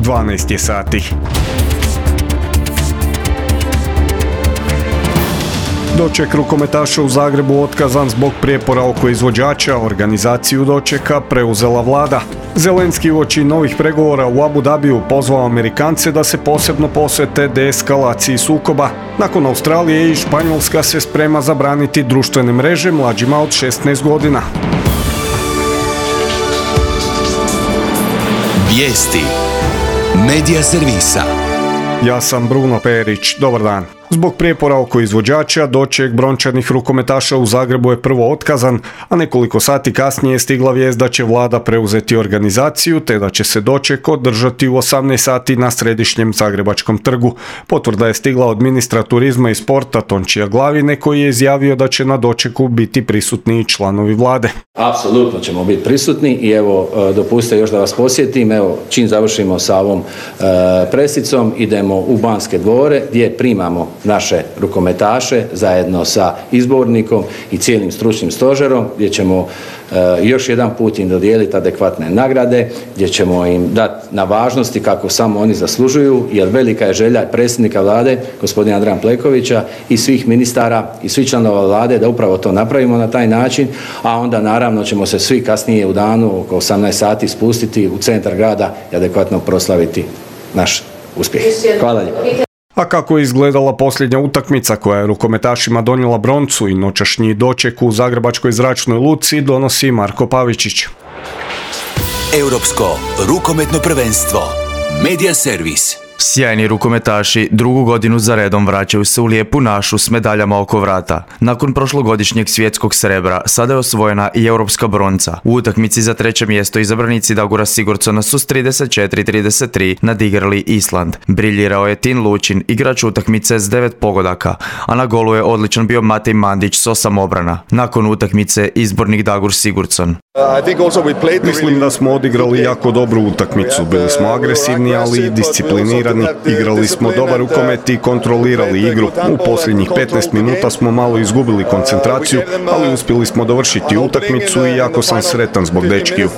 12 je sati. Doček rukometaša u Zagrebu otkazan zbog prijepora oko izvođača, organizaciju dočeka preuzela vlada. Zelenski uoči novih pregovora u Abu Dhabiju pozvao Amerikance da se posebno posvete deeskalaciji sukoba. Nakon Australije i Španjolska se sprema zabraniti društvene mreže mlađima od 16 godina. Vijesti Medija servisa. Ja sam Bruno Perić, dobar dan. Zbog prijepora oko izvođača, doček brončanih rukometaša u Zagrebu je prvo otkazan, a nekoliko sati kasnije je stigla vijest da će vlada preuzeti organizaciju, te da će se doček održati u 18 sati na središnjem Zagrebačkom trgu. Potvrda je stigla od ministra turizma i sporta Tončija Glavine, koji je izjavio da će na dočeku biti prisutni i članovi vlade. Apsolutno ćemo biti prisutni i evo, dopustite još da vas posjetim, evo, čim završimo sa ovom presicom, idemo u Banske dvore gdje primamo naše rukometaše zajedno sa izbornikom i cijelim stručnim stožerom, gdje ćemo još jedan put im dodijeliti adekvatne nagrade, gdje ćemo im dati na važnosti kako samo oni zaslužuju, jer velika je želja predsjednika vlade, gospodina Andreja Plenkovića, i svih ministara i svih članova vlade da upravo to napravimo na taj način, a onda naravno ćemo se svi kasnije u danu oko 18 sati spustiti u centar grada i adekvatno proslaviti naš uspjeh. Hvala lijepo. A kako je izgledala posljednja utakmica koja je rukometašima donijela broncu i noćašnji doček u Zagrebačkoj zračnoj luci, donosi Marko Pavičić. Europsko rukometno prvenstvo. Medija servis. Sjajni rukometaši drugu godinu za redom vraćaju se u lijepu našu s medaljama oko vrata. Nakon prošlogodišnjeg svjetskog srebra, sada je osvojena i europska bronca. U utakmici za treće mjesto izabranici Dagura Sigurdsona su s 34-33 nadigrali Island. Briljirao je Tin Lučin, igrač utakmice s 9 pogodaka, a na golu je odličan bio Matej Mandić s 8 obrana. Nakon utakmice izbornik Dagur Sigurdsson. Mislim da smo odigrali jako dobru utakmicu. Bili smo agresivni, ali i disciplinirani. Igrali smo dobar rukomet i kontrolirali igru. U posljednjih 15 minuta smo malo izgubili koncentraciju, ali uspjeli smo dovršiti utakmicu i jako sam sretan zbog dečkiju.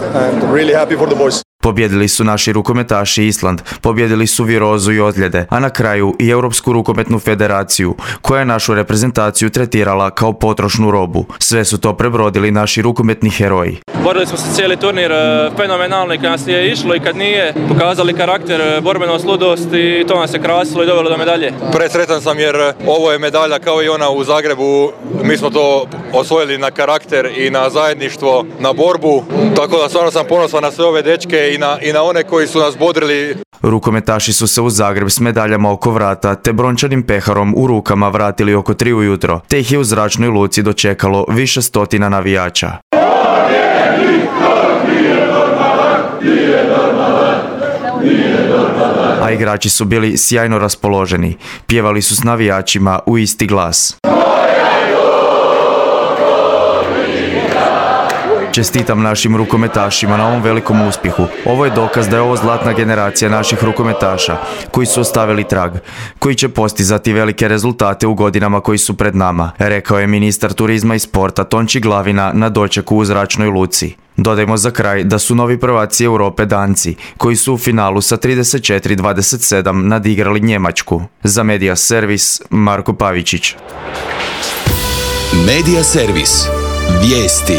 Pobjedili su naši rukometaši Island, pobjedili su virozu i ozljede, a na kraju i Europsku rukometnu federaciju, koja je našu reprezentaciju tretirala kao potrošnu robu. Sve su to prebrodili naši rukometni heroji. Borili smo se cijeli turnir fenomenalno i kad nas je išlo i kad nije, pokazali karakter, borbenost, ludost i to nas je krasilo i dovelo do medalje. Presretan sam jer ovo je medalja kao i ona u Zagrebu, mi smo to osvojili na karakter i na zajedništvo, na borbu, tako da stvarno sam ponosan na sve ove dečke i na one koji su nas bodrili. Rukometaši su se u Zagreb s medaljama oko vrata te brončanim peharom u rukama vratili oko 3 ujutro, te ih je u zračnoj luci dočekalo više stotina navijača. A igrači su bili sjajno raspoloženi, pjevali su s navijačima u isti glas. Čestitam našim rukometašima na ovom velikom uspjehu. Ovo je dokaz da je ovo zlatna generacija naših rukometaša koji su ostavili trag, koji će postizati velike rezultate u godinama koji su pred nama, rekao je ministar turizma i sporta Tonči Glavina na dočeku u zračnoj luci. Dodajmo za kraj da su novi prvaci Europe Danci, koji su u finalu sa 34-27 nadigrali Njemačku. Za Medija servis, Marko Pavičić. Medija servis. Vijesti.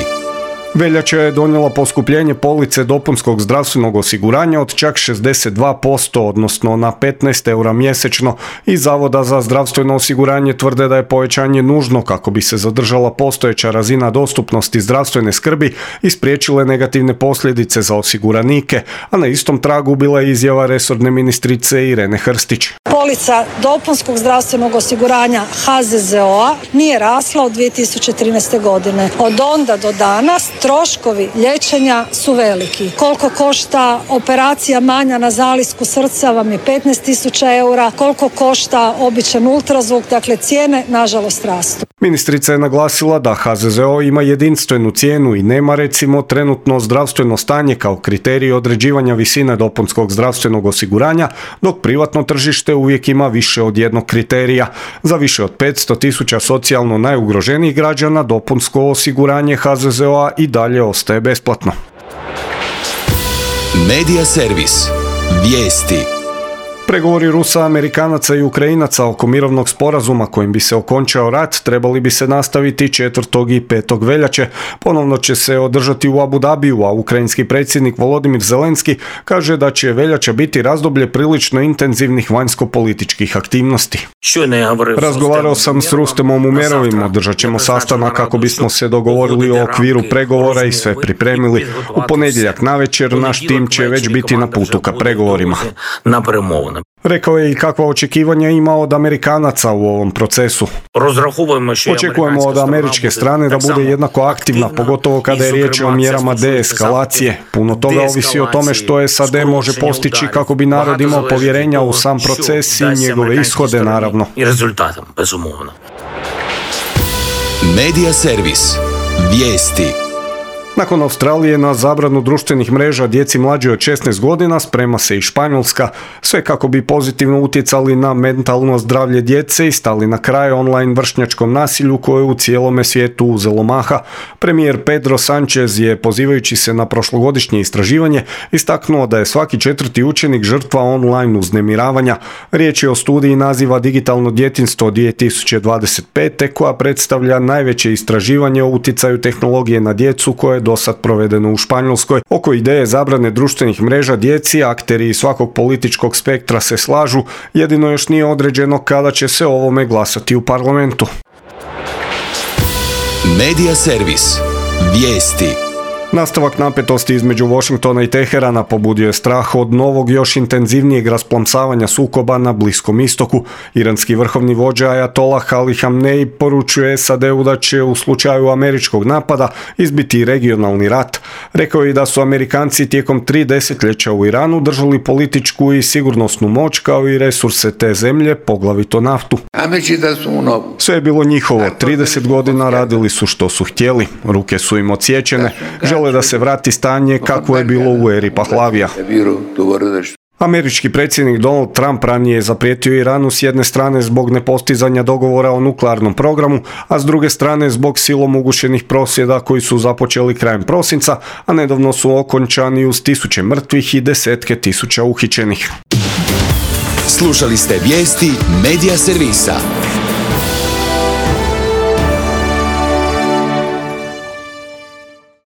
Veljača je donijela poskupljenje police dopunskog zdravstvenog osiguranja od čak 62%, odnosno na 15 eura mjesečno. Iz Zavoda za zdravstveno osiguranje tvrde da je povećanje nužno kako bi se zadržala postojeća razina dostupnosti zdravstvene skrbi i spriječile negativne posljedice za osiguranike, a na istom tragu bila je izjava resorne ministrice Irene Hrstić. Polica dopunskog zdravstvenog osiguranja HZZO-a nije rasla od 2013. godine. Od onda do danas troškovi liječenja su veliki. Koliko košta operacija manja na zalisku srca vam je 15.000 eura, koliko košta običan ultrazvuk, dakle cijene nažalost rastu. Ministrica je naglasila da HZZO ima jedinstvenu cijenu i nema recimo trenutno zdravstveno stanje kao kriterij određivanja visine dopunskog zdravstvenog osiguranja, dok privatno tržište uvijek ima više od jednog kriterija. Za više od 500.000 socijalno najugroženijih građana dopunsko osiguranje HZZO-a i dalje ostaje besplatno. Medija servis. Vijesti. Pregovori Rusa, Amerikanaca i Ukrajinaca oko mirovnog sporazuma kojim bi se okončao rat trebali bi se nastaviti 4. i 5. veljače. Ponovno će se održati u Abu Dhabiju, a ukrajinski predsjednik Volodimir Zelenski kaže da će veljača biti razdoblje prilično intenzivnih vanjsko-političkih aktivnosti. Razgovarao sam s Rustemom Umerovim, održat ćemo sastanak kako bismo se dogovorili o okviru pregovora i sve pripremili. U ponedjeljak navečer naš tim će već biti na putu ka pregovorima. Rekao je i kakva očekivanja ima od Amerikanaca u ovom procesu. Očekujemo od američke strane da bude jednako aktivna, pogotovo kada je riječ o mjerama deeskalacije. Puno toga ovisi o tome što SAD može postići kako bi narod imao povjerenja u sam proces i njegove ishode, naravno. Medija servis. Vijesti. Nakon Australije na zabranu društvenih mreža djeci mlađe od 16 godina sprema se i Španjolska, sve kako bi pozitivno utjecali na mentalno zdravlje djece i stali na kraj online vršnjačkom nasilju koje u cijelome svijetu uzelo maha. Premijer Pedro Sánchez je, pozivajući se na prošlogodišnje istraživanje, istaknuo da je svaki 4. učenik žrtva online uznemiravanja. Riječ je o studiji naziva Digitalno djetinjstvo 2025. koja predstavlja najveće istraživanje o utjecaju tehnologije na djecu koje je dosad provedeno u Španjolskoj. Oko ideje zabrane društvenih mreža djeci, akteri iz svakog političkog spektra se slažu, jedino još nije određeno kada će se o ovome glasati u parlamentu. Medija servis. Vijesti. Nastavak napetosti između Washingtona i Teherana pobudio je strah od novog, još intenzivnijeg rasplamsavanja sukoba na Bliskom istoku. Iranski vrhovni vođa Ajatolah Ali Hamnej poručuje SAD-u da će u slučaju američkog napada izbiti regionalni rat. Rekao je da su Amerikanci tijekom 3 desetljeća u Iranu držali političku i sigurnosnu moć kao i resurse te zemlje, poglavito naftu. Sve je bilo njihovo, 30 godina radili su što su htjeli, ruke su im odsječene, žele da se vrati stanje kakvo je bilo u eri Pahlavija. Američki predsjednik Donald Trump ranije je zaprijetio Iranu s jedne strane zbog nepostizanja dogovora o nuklearnom programu, a s druge strane zbog silom ugušenih prosvjeda koji su započeli krajem prosinca, a nedavno su okončani uz 1000 mrtvih i 10.000 uhićenih. Slušali ste vijesti Medija servisa.